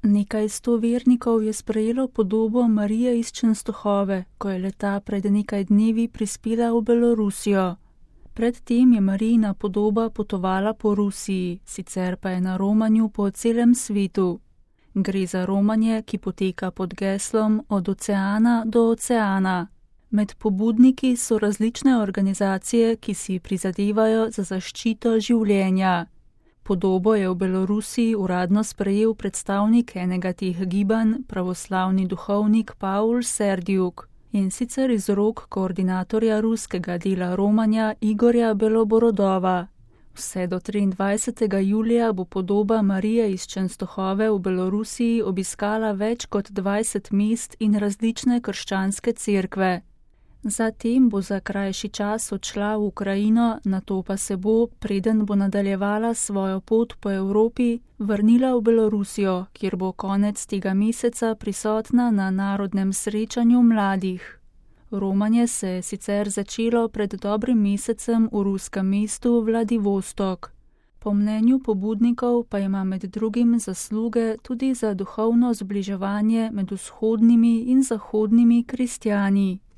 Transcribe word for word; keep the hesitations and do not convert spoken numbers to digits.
Nekaj sto vernikov je sprejelo podobo Marije iz Čenstohove, ko je leta pred nekaj dnevi prispela v Belorusijo. Predtem je Marijina podoba potovala po Rusiji, sicer pa je na romanju po celem svetu. Gre za romanje, ki poteka pod geslom Od oceana do oceana. Med pobudniki so različne organizacije, ki si prizadevajo za zaščito življenja. Podobo je v Belorusiji uradno sprejel predstavnik enega teh gibanj, pravoslavni duhovnik Paul Serdjuk, in sicer iz rok koordinatorja ruskega dela romanja Igorja Beloborodova. Vse do triindvajsetega julija bo podoba Marije iz Čenstohove v Belorusiji obiskala več kot dvajset mest in različne krščanske cerkve. Zatem bo za krajši čas odšla v Ukrajino, nato pa se bo, preden bo nadaljevala svojo pot po Evropi, vrnila v Belorusijo, kjer bo konec tega meseca prisotna na narodnem srečanju mladih. Romanje se je sicer začelo pred dobrim mesecem v ruskem mestu Vladivostok. Po mnenju pobudnikov pa ima med drugim zasluge tudi za duhovno zbliževanje med vzhodnimi in zahodnimi kristjani.